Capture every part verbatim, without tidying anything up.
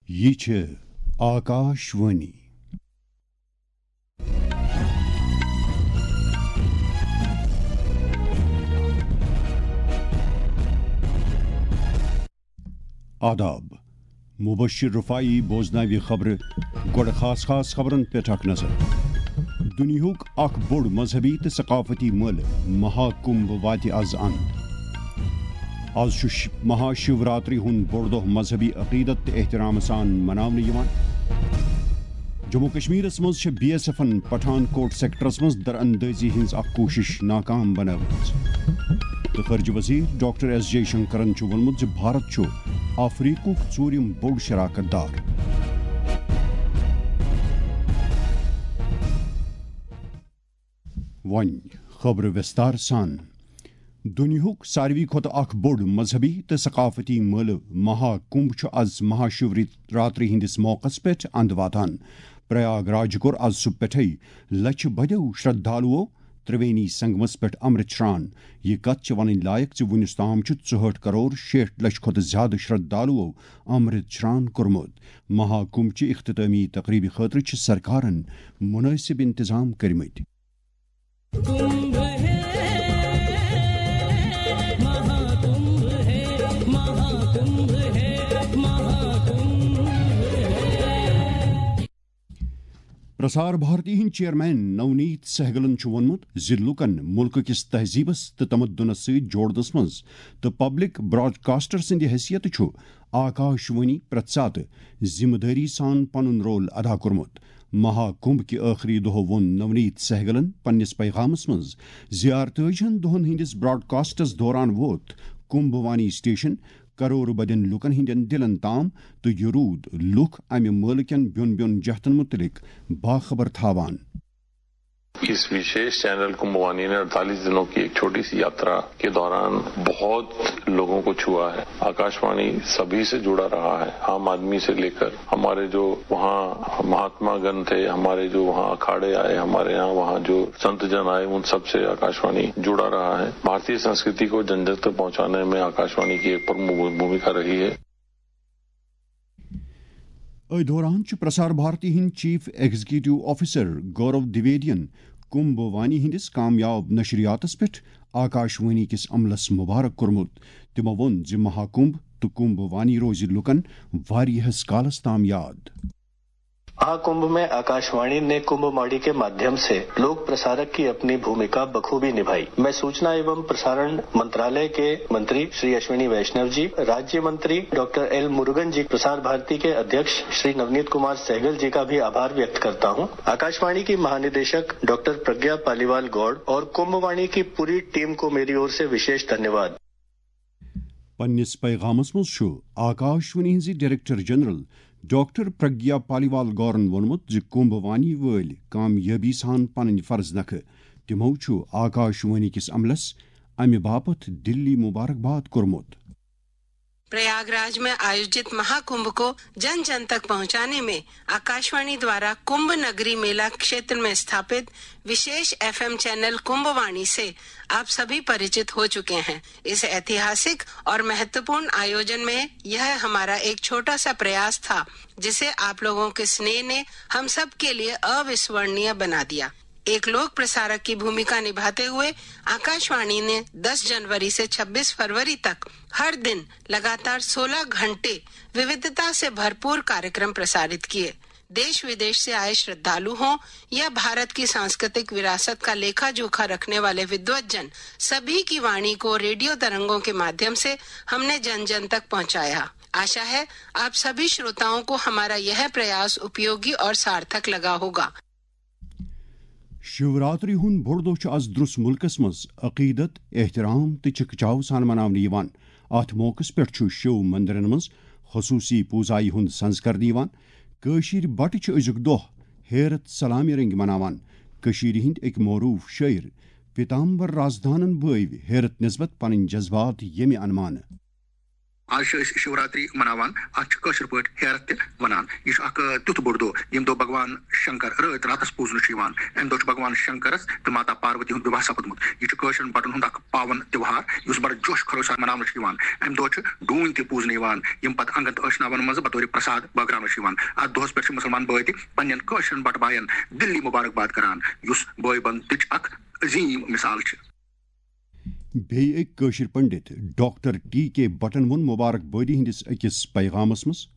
یہِ چھِ آکاش وانی۔ آداب۔ مبشر رفاعی بوزناوِ خبرٕ۔ گۄڈٕ خاص خاص خبرن پٮ۪ٹھ اکھ نظر۔ دُنیاہُک اکھ بوٚڑ مذہبی تہٕ ثقافتی مٲلہٕ مہا کُمبھ واتہِ از اند۔ از چھُ ش-، مہا شیوراتری ہُنٛد بوٚڑ دۄہ مذہبی عقیدت تہٕ احترام سان مناونہٕ یِوان۔ جموں کشمیرس منٛز چھےٚ بی ایس ایفن پٹھان کوٹ سیکٹرس منٛز دراندٲزی ہٕنٛز اکھ کوٗشش ناکام بنٲومٕژ۔ تہٕ خارجہ وزیر ڈاکٹر ایس جے شنکرن چھُ ووٚنمُت زِ بھارت چھُ افریقُک ژوٗرِم بوٚڑ شراکت دار۔ وۄنۍ خبرٕ وِستار سان۔ دُنیاہُک ساروی کھۄتہٕ اکھ بوٚڑ مذہبی تہٕ ثقافتی مٲلہٕ مہا کُمبھ چھُ از مہا شیوراتری ہٕنٛدِس موقعس پٮ۪ٹھ اند واتان۔ پریاگ راج کوٚر از صبح پٮ۪ٹھے لچھِ بٔدیو شردھالوو ترٛوینی سنگمس پٮ۪ٹھ امرت شران۔ یہِ کتھ چھِ ونٕنۍ لایق زِ وُنیُس تام چھُ ژُہٲٹھ کرور شیٹھ لچھ کھۄتہٕ زیادٕ شردھالوو امرت شران کوٚرمُت۔ مہا کُمبھ چہِ اختتٲمی تقریبہِ خٲطرٕ چھِ سرکارن مُنٲسِب انتظام کٔرمٕتۍ۔ कुंभ है, महाकुंभ है, महाकुंभ है, महाकुंभ है। پرسار بھارتی ہٕنٛدۍ چیئرمین نونیت سہگلن چھُ ووٚنمُت زِ لوٗکن مُلکہٕ کِس تہذیٖبس تہٕ تمدنس سۭتۍ جوڑنس منٛز تہٕ پبلک براڈکاسٹر سٕنٛدِ حیثیتہٕ چھُ آکاش وانی پرٛٮ۪تھ ساتہٕ ذمہٕ دٲری سان پنُن رول ادا کوٚرمُت۔ مہا کُمبھ کہِ ٲخری دۄہ ووٚن نونیت سہگلن پننِس پیغامس منٛز زِ ارتٲجی ہن دۄہن ہٕنٛدِس براڈکاسٹس دوران ووت کُمبھ وانی سٹیشن کرور بدین لوٗکن ہٕنٛدٮ۪ن دِلن تام تہٕ یہِ روٗد لوٗکھ امہِ مٲلہٕ کٮ۪ن بیوٚن بیوٚن جہتن مُتعلق باخبر تھاوان۔ इस विशेष चैनल कुंभवाणी ने अड़तालीस दिनों की एक छोटी सी यात्रा के दौरान बहुत लोगों को छुआ है। आकाशवाणी सभी से जुड़ा रहा है, आम आदमी से लेकर हमारे जो वहाँ महात्मा गण थे, हमारे जो वहाँ अखाड़े आए, हमारे यहाँ वहाँ जो संत जन आए, उन सब से आकाशवाणी जुड़ा रहा है। भारतीय संस्कृति को जन जन तक पहुँचाने में आकाशवाणी की एक प्रमुख भूमिका रही है। أتھۍ دوران چھُ پرسار بھارتی ہٕنٛدۍ چیف ایگزیکٹو آفیسر گورو دویدین کمبھ وانی ہٕنٛدِس کامیاب نشریاتس پٮ۪ٹھ آکاش وانی کِس عملس مبارک کوٚرمُت۔ تِمو ووٚن زِ مہا کمبھ تہٕ کمبھ وانی روزِ لوٗکن واریاہس کالس تام یاد۔ महाकुंभ में आकाशवाणी ने कुंभ माड़ी के माध्यम से लोक प्रसारक की अपनी भूमिका बखूबी निभाई। मैं सूचना एवं प्रसारण मंत्रालय के मंत्री श्री अश्विनी वैष्णव जी, राज्य मंत्री डॉक्टर एल मुरुगन जी, प्रसार भारती के अध्यक्ष श्री नवनीत कुमार सहगल जी का भी आभार व्यक्त करता हूं। आकाशवाणी की महानिदेशक डॉक्टर प्रज्ञा पालीवाल गौड़ और कुंभवाणी की पूरी टीम को मेरी ओर से विशेष धन्यवाद। پننِس پیغامس منٛز چھُ آکاش وانی ہٕنٛزِ director general doctor Pragya Paliwal گورن ووٚنمُت زِ کمبھ وانی وٲلۍ کامیٲبی سان پنٕنۍ فرض نکھٕ۔ تِمو چھُ آکاش وانی کِس عملس امہِ باپتھ دِلی مبارکباد کوٚرمُت۔ प्रयागराज में आयोजित महाकुंभ को जन जन तक पहुंचाने में आकाशवाणी द्वारा कुंभ नगरी मेला क्षेत्र में स्थापित विशेष एफएम चैनल कुंभवाणी से आप सभी परिचित हो चुके हैं। इस ऐतिहासिक और महत्वपूर्ण आयोजन में यह हमारा एक छोटा सा प्रयास था, जिसे आप लोगों के स्नेह ने हम सब के लिए अविस्मरणीय बना दिया। एक लोक प्रसारक की भूमिका निभाते हुए आकाशवाणी ने दस जनवरी से छब्बीस फरवरी तक हर दिन लगातार सोलह घंटे विविधता से भरपूर कार्यक्रम प्रसारित किए। देश विदेश से आए श्रद्धालु हों या भारत की सांस्कृतिक विरासत का लेखा जोखा रखने वाले विद्वत जन, सभी की वाणी को रेडियो तरंगों के माध्यम से हमने जन जन तक पहुंचाया। आशा है, आप सभी श्रोताओं को हमारा यह प्रयास उपयोगी और सार्थक लगा होगा। شیوراتری ہُنٛد بوٚڑ دۄہ چھُ از درُس مُلکس منٛز عقیدت، احترام تہٕ چکچاو سان مناونہٕ یِوان۔ اتھ موقعس پٮ۪ٹھ چھُ شیو مندرن منٛز خصوٗصی پوٗزایہِ ہُنٛد سنز کرنہٕ یِوان۔ کٲشِرۍ بٹہٕ چھِ أزیُک دۄہ حیرت سلامہِ رٔنگۍ مناوان۔ کٔشیٖرِ ہٕنٛدۍ أکۍ معروٗف شٲعر پیتامبر رازدانن بٲوۍ حیرت نسبت پنٕنۍ جذبات ییٚمہِ انمانہٕ۔ آز چھِ أسۍ شِوراتری مناوان، اَتھ چھِ کٲشِر پٲٹھۍ ہیرتھ تہِ وَنان۔ یہِ چھُ اَکھ، آ، تیُتھ بوٚڑ دۄہ، ییٚمہِ دۄہ بھگوان شنکر رٲتۍ راتَس پوٗزنہٕ چھُ یِوان۔ اَمہِ دۄہ چھُ بھگوان شنکرَس تہٕ ماتا پاروتی ہُنٛد وِواہ سَپُدمُت۔ یہِ چھُ کٲشرٮ۪ن بَٹَن ہُنٛد اَکھ پاوَن تہوار، یُس بَڑٕ جوش خروش سان مَناونہٕ چھُ یِوان۔ اَمہِ دۄہ چھِ ڈوٗنۍ تہِ پوٗزنہٕ یِوان، یِم پَتہٕ اَنٛگَن تہٕ ٲشناوَن منٛز بطورِ پرساد بٲگراونہٕ چھِ یِوان۔ اَتھ دۄہَس پٮ۪ٹھ چھِ مُسلمان بٲے تہِ پنٛنٮ۪ن کٲشرٮ۪ن بَٹہٕ بایَن دِلی مُبارک باد کَران، یُس بٲے بَندُتٕچ اَکھ عظیٖم مِثال چھِ۔ بیٚیہِ أکۍ کٲشِر پنڈت ڈاکٹر ٹی کے بٹن ووٚن مبارک بٲدی ہٕنٛدِس أکِس پیغامس منٛز۔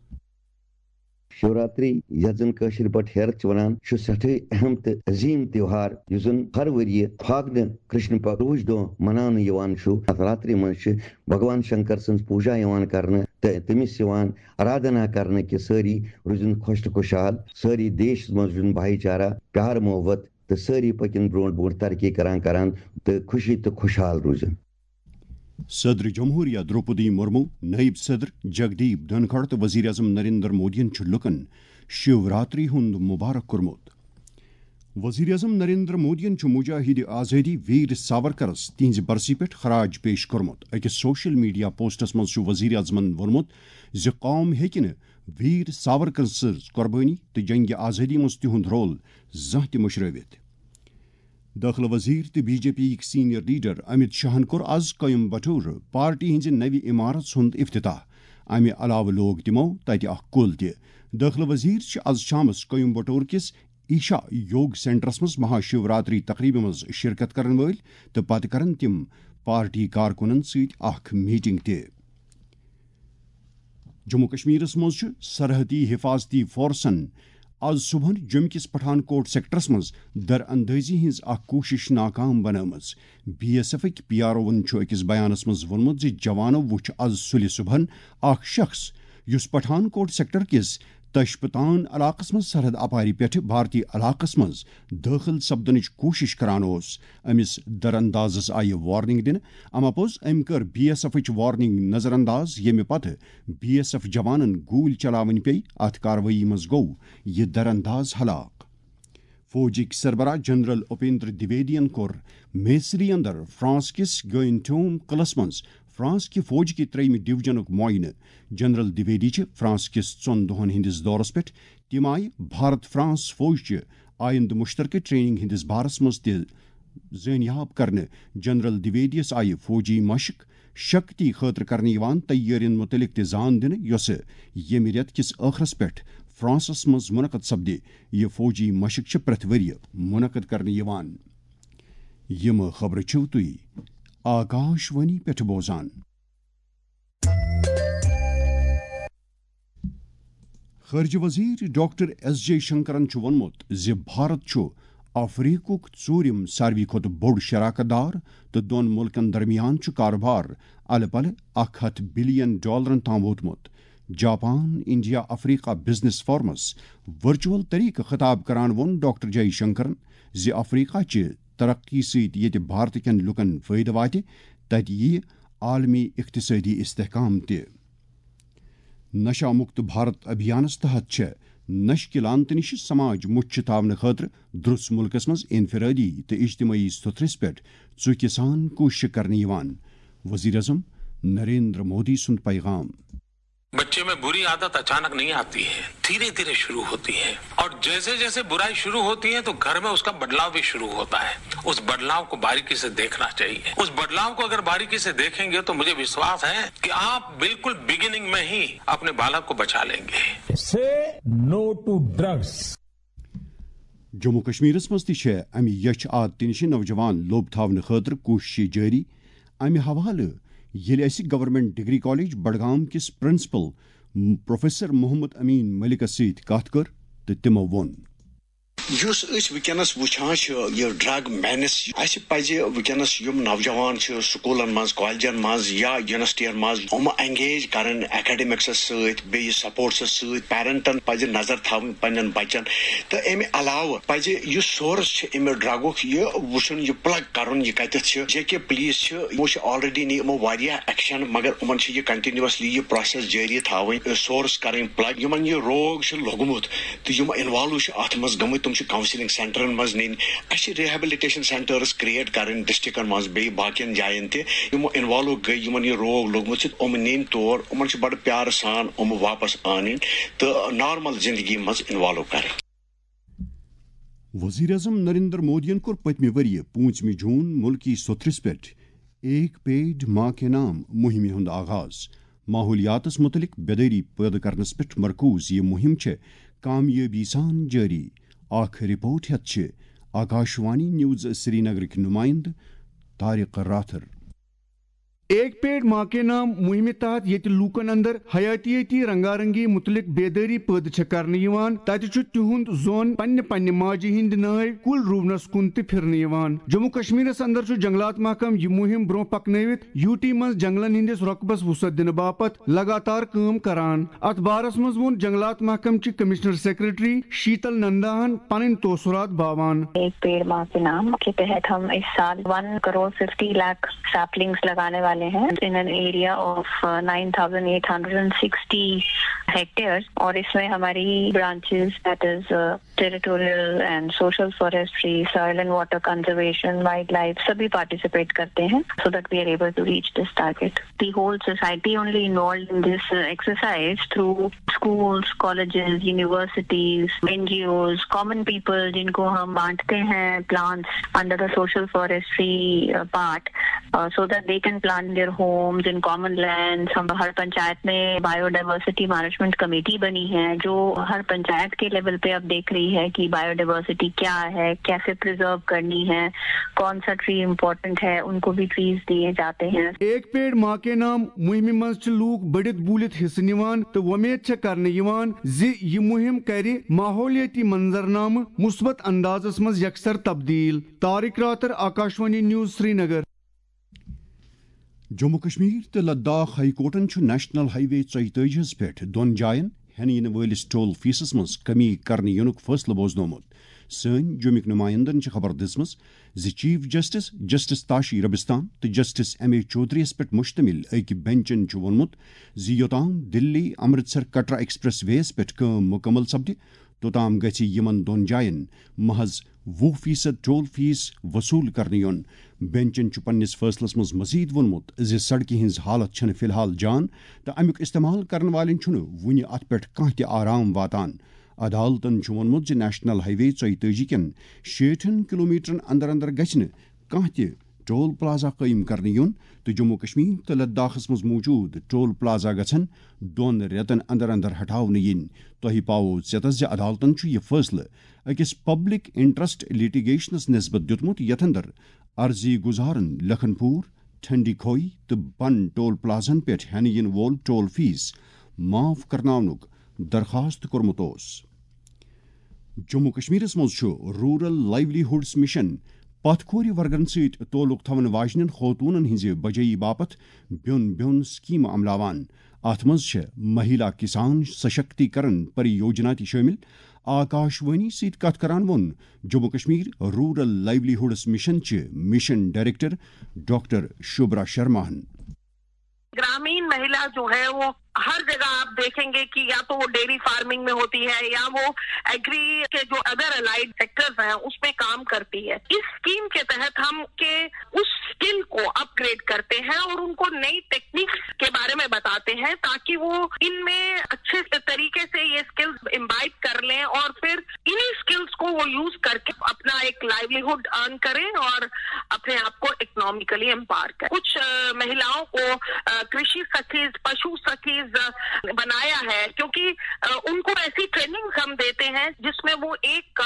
شیوراتری، یتھ زن کٲشِر پٲٹھۍ ہیرتھ چھِ ونان، چھُ سٮ۪ٹھٕے اہم تہٕ عظیٖم تہوار، یُس زن ہر ؤریہِ فاگنہٕ کرشن پکھ روٗج دۄہ مناونہٕ یِوان چھُ۔ اتھ راترِ منٛز چھِ بھگوان شنکر سٕنٛز پوٗجا یِوان کرنہٕ تہٕ تٔمِس یِوان آرادھنا کرنہٕ کہِ سٲری روٗزِن خۄش تہٕ خۄشحال، سٲری دیشس منٛز روٗزِن بھایی چارہ، پیار محبت تہٕ سٲری پٔکِن برونٛٹھ برونٛٹھ ترقی کران کران تہٕ خوشی تہٕ خۄشحال روٗزِن۔ صدر جمہوریہ درٛوپدی مرمو، نائب صدر جگدیپ دھنکھڑ تہٕ وزیر اعظم نریندر مودیَن چھُ لوٗکَن شیو راتری ہُنٛد مبارک کوٚرمُت۔ وزیر اعظم نریندر مودیَن چھُ مجاہد آزٲدی ویر ساورکرَس تِہنٛزِ برسی پٮ۪ٹھ خراج پیش کوٚرمُت۔ أکِس سوشل میڈیا پوسٹَس منٛز چھُ وزیر اعظمَن ووٚنمُت زِ قوم ہیٚکہِ نہٕ ویر ساورکر سٕنٛز قۄربٲنی تہٕ جنگِ آزٲدی منٛز تِہُنٛد رول زانٛہہ تہِ مٔشرٲوِتھ۔ دٲخلہٕ وزیر تہٕ بی جے پی یِک سینئر لیڈر امت شاہن کوٚر از کویمبٹور پارٹی ہٕنٛزِ نوِ عمارژ ہُنٛد افتتاح۔ امہِ علاوٕ لوگ تِمو تتہِ اکھ کُل تہِ۔ دٲخلہٕ وزیر چھِ از شامس کویمبٹور کِس ایشا یوگ سینٹرس منٛز مہا شیوراتری تقریبہِ منٛز شرکت کرن وٲلۍ تہٕ پتہٕ کرن تِم پارٹی کارکُنن سۭتۍ اکھ میٹنگ تہِ۔ جموں کشمیرس منٛز چھُ سرحدی حفاظتی فورسن از صبحن جوٚمہِ کِس پٹھان کوٹ سیکٹرس منٛز در اندٲزی ہٕنٛز اکھ کوٗشش ناکام بنٲومٕژ۔ بی ایس ایفٕکۍ پی آر اووَن چھُ أکِس بیانس منٛز ووٚنمُت زِ جوانو وُچھ از سُلہِ صبحن اکھ شخص، یُس پٹھان کوٹ سیکٹر کِس تشپتان علاقس منٛز سرحد اپارِ پٮ۪ٹھٕ بھارتی علاقس منٛز دٲخل سپدنٕچ کوٗشش کران اوس۔ أمِس در اندازس آیہِ وارننگ دِنہٕ۔ اما پوٚز، أمۍ کٔر بی ایس ایفٕچ وارننگ نظر انداز، ییٚمہِ پتہٕ بی ایس ایف جوانن گوٗلۍ چلاوٕنۍ پیٚیہِ۔ اتھ کاروٲیی منٛز گوٚو یہِ در انداز ہلاک۔ فوجٕکۍ سربراہ جنرل اپیندر دویدین کوٚر میسری اندر فرانس کِس گوئنٹوم قلعس منٛز فرانس کہِ فوج کہِ ترٛیٚیِمہِ ڈویژنُک معائنہٕ۔ جنرل دویدی چھِ فرانس کِس ژۄن دۄہن ہٕنٛدِس دورس پٮ۪ٹھ۔ تِم آیہِ بھارت فرانس فوج چہِ آیندٕ مشترکہٕ ٹریننگ ہٕنٛدِس بارس منٛز تہِ زٲنیاب کرنہٕ۔ جنرل دویدیس آیہِ فوجی مشق شکتی خٲطرٕ کرنہٕ یِوان تیٲرین مُتعلق تہِ زان دِنہٕ، یۄسہٕ ییٚمہِ رٮ۪تہٕ کِس ٲخرس پٮ۪ٹھ فرانسس منٛز منعقد سپدِ۔ یہِ فوجی مشق چھِ پرٛٮ۪تھ ؤرۍ یہِ منعقد کرنہٕ یِوان۔ یِم خبرٕ چھِو تُہۍ آکاش وانی پٮ۪ٹھ بوزان۔ خارجہ وزیر ڈاکٹر ایس جے شنکرن چھُ ووٚنمُت زِ بھارت چھُ افریقُک ژوٗرِم ساروی کھۄتہٕ بوٚڑ شراکت دار تہٕ دۄن مُلکن درمیان چھُ کاروبار الہٕ پلہٕ اکھ ہتھ بلین ڈالرن تام ووتمُت۔ جاپان انڈیا افریقہ بزنس فورمس ورچوئل طریقہٕ خطاب کران ووٚن ڈاکٹر جے شنکرن زِ افریقہ چہِ ترقی سۭتۍ ییٚتہِ بھارت کٮ۪ن لوٗکن فٲیدٕ واتہِ، تتہِ یِیہِ عالمی اقتصٲدی استحکام تہِ۔ نشہ مکت بھارت ابھیانس تحت چھےٚ نشہٕ کہِ لعنتہٕ نِش سماج مُچھِ تھاونہٕ خٲطرٕ درٛس مُلکس منٛز انفرٲدی تہٕ اجتمٲعی سوٚتھرِس پٮ۪ٹھ ژُکہِ سان کوٗشش کرنہٕ یِوان۔ وزیر اعظم نریندر مودی سُنٛد پیغام۔ बच्चे में बुरी आदत अचानक नहीं आती है, धीरे धीरे शुरू होती है। और जैसे जैसे बुराई शुरू होती है तो घर में उसका बदलाव भी शुरू होता है। उस बदलाव को बारीकी से देखना चाहिए। उस बदलाव को अगर बारीकी से देखेंगे तो मुझे विश्वास है कि आप बिल्कुल बिगिनिंग में ही अपने बालक को बचा लेंगे। Say no to drugs. Jammu کشمیرس منٛز تہِ چھےٚ امہِ یچھ عادتہِ نِش نوجوان لوٚب تھاونہٕ خٲطرٕ کوٗششہٕ جٲری۔ امہِ حوالہٕ ییٚلہِ اسہِ گورنمنٹ ڈگری کالج بڈگام کِس پرنسپل پروفیسر محمد امین ملکس سۭتۍ کتھ کٔر تہٕ تِمو ووٚن۔ یُس أسۍ وٕنکیٚنس وٕچھان چھِ، یہِ ڈرگ مینس، اسہِ پزِ وٕنکیٚنس یِم نوجوان چھِ سکوٗلن منٛز، کالجن منٛز یا یونیورسٹین منٛز، یِم انگیج کرٕنۍ اکیڈمکسس سۭتۍ، بیٚیہِ سپورٹسس سۭتۍ۔ پیرنٹن پزِ نظر تھاوٕنۍ پننٮ۪ن بچن۔ تہٕ امہِ علاوٕ پزِ یُس سورس چھُ امہِ ڈرگُک، یہِ وٕچھُن، یہِ پلگ کرُن، یہِ کتٮ۪تھ چھِ۔ جے کے پولیس چھِ، یِمو چھِ آلریڈی نی یِمو واریاہ ایکشن، مگر یِمن چھِ یہِ کنٹینیوسلی یہِ پروسیس جٲری تھاوٕنۍ، سورس کرٕنۍ پلگ۔ یِمن یہِ روگ چھُ لوٚگمُت، تہٕ یِم انوالو چھِ اتھ منٛز گٔمٕتۍ، تِم چھِ کاؤنسلنگ سینٹرن منٛز نِنۍ۔ اسہِ چھِ ریہیبلیٹیشن سینٹرز کریٹ کرٕنۍ ڈسٹرکٹن منٛز، بیٚیہِ باقین جاین تہِ۔ یِمو انوالو گٔے، یِمن یہِ روگ لوٚگمُت چھُ، یِم نِنۍ تور، یِمن چھِ بڑٕ پیارٕ سان یِم واپس انٕنۍ تہٕ نارمل زندگی منٛز انوالو کرٕنۍ۔ وزیر اعظم نریندر مودیَن کوٚر پٔتمہِ ؤریہِ پوٗنٛژمہِ جوٗن مُلکی سوٚتھرِس پٮ۪ٹھ ایک پیڑ ماں کے نام مُہِمہِ ہُنٛد آغاز۔ ماحولیاتس مُتعلق بیدٲری پٲدٕ کرنس پٮ۪ٹھ مرکوز یہِ مُہِم چھےٚ کامیٲبی سان جٲری۔ اکھ رپورٹ ہٮ۪تھ چھِ آکاشوانی نیوز سرینگرٕکۍ نُمایندٕ طارق راتھر۔ ایک پیڑ ماں کے نام مُہِمہِ تحت ییٚتہِ لوٗکن اندر حیاتیٲتی رنگا رنگی مُتعلق بیدٲری پٲدٕ چھےٚ کرنہٕ یِوان، تتہِ چھُ تِہُنٛد ظۄن پننہِ پننہِ ماجہِ ہٕنٛدِ نٲوۍ کُل رُونس کُن تہِ پھِرنہٕ یِوان۔ جموں کشمیرس اندر چھُ جنگلات محکمہٕ یہِ مُہِم برونٛہہ پکنٲوِتھ یوٗ ٹی منٛز جنگلن ہٕنٛدِس رۄقبس وُسعت دِنہٕ باپتھ لگاتار کٲم کران۔ اتھ بارس منٛز ووٚن جنگلات محکمہٕ چہِ کمشنر سیکرٹری شیتل ننداہن پنٕنۍ تاثرات باوان۔ ایک پیڑ ماں کے نام کے تحت ہم اس سال ون کروڑ ففٹی لاکھ سیپلنگز لگانے والے ہیں in an area of nine thousand eight hundred sixty hectares, اور اس میں ہماری branches, that is territorial and social forestry, soil and water conservation, wildlife, سبھی پارٹیسپیٹ کرتے ہیں so that we are able to reach this target. The whole society only involved in this exercise through schools, colleges, universities, N G Os, common people, جن کو ہم بانٹتے ہیں plants under the social forestry part, so that they can plant their homes in common lands. ہم ہر پنچایت میں بایو diversity management committee بنی ہے جو ہر پنچایت کے level پہ اب دیکھ رہی ہے کہ بایو ڈائیورسٹی کیا ہے، کیسے پرزرو کرنی ہے، کون سا ٹری امپورٹنٹ ہے، ان کو بھی ٹریز دیے جاتے ہیں۔ ایک پیڑ ماں کے نام مُہِمہِ منٛز چھِ لوٗکھ بٔڑِتھ بوٗلِتھ حصہٕ نِوان تہٕ وۄمید چھےٚ کرنہٕ یِوان زِ یہِ مُہِم کرِ ماحولیٲتی منظرنامہٕ مثبت اندازس منٛز یکسر تبدیل۔ طارق راتر، آکاشوانی نیوز، سرینگر۔ جموں کشمیر تہٕ لداخ ہائی کورٹن چھُ نیشنل ہائی وے ژۄیہِ تٲجی ہس پٮ۪ٹھ دۄن جاین ہٮ۪نہٕ یِنہٕ وٲلِس ٹول فیسس منٛز کمی کرنہٕ یِنُک فٲصلہٕ بوزنومُت۔ سٲنۍ جومٕکۍ نُمایندن چھِ خبر دِژمٕژ زِ chief justice, justice Tashi Rabistan تہٕ جسٹس ایم اے چودھری یَس پٮ۪ٹھ مشتمل أکۍ بینچن چھُ ووٚنمُت زِ یوٚتام دِلی امرتسر کٹرا ایکسپریس وے یَس پٮ۪ٹھ کٲم مُکمل سپدِ، توٚتام گژھِ یِمن دۄن جاین محض وُہ فیصد ٹول فیس وصوٗل کرنہٕ یُن۔ بینچن چھُ پننِس فٲصلس منٛز مزید ووٚنمُت زِ سڑکہِ ہٕنٛز حالت چھنہٕ فی الحال جان تہٕ امیُک استعمال کرن والٮ۪ن چھُنہٕ وُنہِ اتھ پٮ۪ٹھ کانٛہہ تہِ آرام واتان۔ عدالتن چھُ ووٚنمُت زِ نیشنل ہائی وے ژۄیہِ تٲجی کٮ۪ن شیٹھن کلومیٹرن اندر اندر گژھِ نہٕ کانٛہہ تہِ ٹول پلازہ قٲیِم کرنہٕ یُن تہٕ جموں کشمیر تہٕ لداخس منٛز موجود ٹول پلازہ گژھن دۄن رٮ۪تن اندر اندر ہٹاونہٕ یِنۍ۔ تۄہہِ پاوو ژیتس زِ عدالتن چھُ یہِ فٲصلہٕ أکِس پبلک انٹرسٹ لٹیگیشنس نسبت دیُتمُت، یتھ اندر عرضی گزارن لکھن پور، ٹھنڈی کھوئی تہٕ بن ٹول پلازن پٮ۪ٹھ ہٮ۪نہٕ یِنہٕ وول ٹول فیس معاف کرناونُک درخواست کوٚرمُت اوس۔ جموں کشمیرس منٛز چھُ رورل لائیولی ہُڈس مشن پتھ کھورِ ورگن سۭتۍ تعلق تھاون واجنٮ۪ن خوتونن ہٕنٛزِ بجٲیی باپتھ بیوٚن بیوٚن سکیمہٕ عملاوان۔ اتھ منٛز چھےٚ مہیلا کسان سشکتی کرن پری یوجنا تہِ شٲمِل۔ آکاش وانی سۭتۍ کتھ کران ووٚن جموں کشمیر رورل لائیولی ہُڈس مشن چہِ مشن ڈائریکٹر ڈاکٹر شوبرا شرماہن۔ گرامین مہیلا جو ہے، وہ ہر جگہ آپ دیکھیں گے کہ یا تو وہ ڈیری فارمنگ میں ہوتی ہے یا وہ ایگری کے جو ادر الائیڈ سیکٹرز ہیں، اس میں کام کرتی ہے۔ اس اسکیم کے تحت ہم کے اس اسکل کو اپ گریڈ کرتے ہیں اور ان کو نئی ٹیکنیکس کے بارے میں بتاتے ہیں، تاکہ وہ ان میں اچھے طریقے سے یہ اسکلز امبائب کر لیں اور پھر انہیں اسکلز کو وہ یوز کر کے اپنا ایک لائیولیہڈ ارن کریں اور اپنے آپ کو اکنامیکلی امپاور کریں۔ کچھ مہیلاؤں کو کرشی سخیز، پشو سخیز بنایا ہے، کیونکہ ان کو ایسی ٹریننگ ہم دیتے ہیں جس میں وہ ایک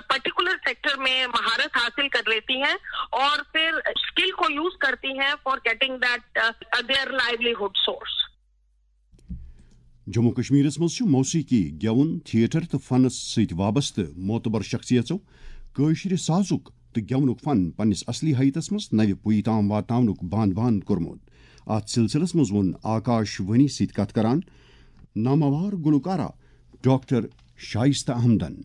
پرٹیکولر سیکٹر میں مہارت حاصل کر لیتی ہیں اور پھر اسکل کو یوز کرتی ہیں for getting that their livelihood source. Jammu کشمیرس منٛز چھُ موسیقی، گٮ۪وُن، تھیٹر تہٕ فنس سۭتۍ وابستہٕ معتبر شخصیژو کٲشرِ سازُک تہٕ گٮ۪ونُک فن پننِس اصلی حیتس منٛز نوِ پُیہِ تام واتناونُک باند باند کوٚرمُت۔ اتھ سلسلس منٛز ووٚن آکاش وانی سۭتۍ کتھ کران ناماوار گلوکارہ ڈاکٹر شائستہ احمدن۔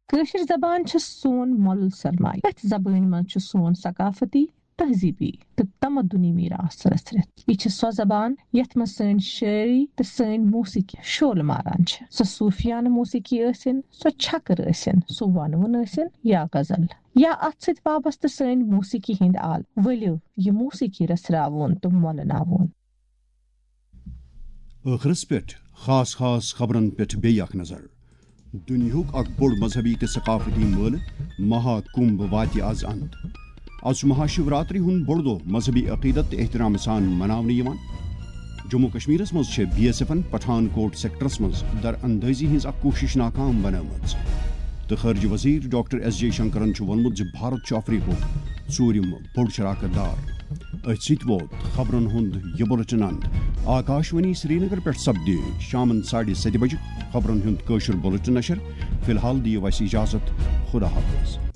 کٲشِر زبان چھِ سون مۄلُل سرمایہِ۔ أتھۍ زبٲنۍ منٛز چھُ سون ثقافتی، تہذیٖبی تہٕ تمدُنی میٖراث رٔژھرِتھ۔ یہِ چھِ سۄ زبان یَتھ منٛز سٲنۍ شٲعری تہٕ سٲنۍ موسیقی شولہٕ ماران چھِ۔ سۄ صوٗفیانہٕ موسیقی ٲسِن، سۄ چھکٕر ٲسِن، سُہ وَنوُن ٲسِن یا غزل، یا اَتھ سۭتۍ وابستہٕ سٲنۍ موسیقی ہٕنٛدۍ آلہٕ۔ ؤلِو یہِ موسیقی رٔژھراوون تہٕ مۄلناوون۔ ٲخرس پٮ۪ٹھ خاص خاص خبرن پٮ۪ٹھ بیٚیہِ اکھ نظر۔ دُنیاہُک اکھ بوٚڑ مذہبی تہٕ ثقافتی مٲلہٕ مہا کُمبھ واتہِ از اند۔ از چھُ مہاشیوراتری ہُنٛد بوٚڑ دۄہ مذہبی عقیدت تہٕ احترام سان مناونہٕ یِوان۔ جموں کشمیرس منٛز چھےٚ بی ایس ایفن پٹھان کوٹ سیکٹرس منٛز در اندٲزی ہٕنٛز اکھ کوٗشش ناکام بنٲومٕژ تہٕ خارجہ وزیر ڈاکٹر ایس جے شنکرن چھُ ووٚنمُت زِ بھارت چھُ افریقُک ژوٗرِم بوٚڑ شراکت دار۔ أتھۍ سۭتۍ ووت خبرن ہُنٛد یہِ بُلٹن اند۔ آکاشوانی سرینگر پٮ۪ٹھ سپدِ شامن ساڑِ ستہِ بجہِ خبرن ہُنٛد کٲشُر بُلٹن نشر۔ فی الحال دِیِو اَسہِ اجازت۔ خدا حافظ۔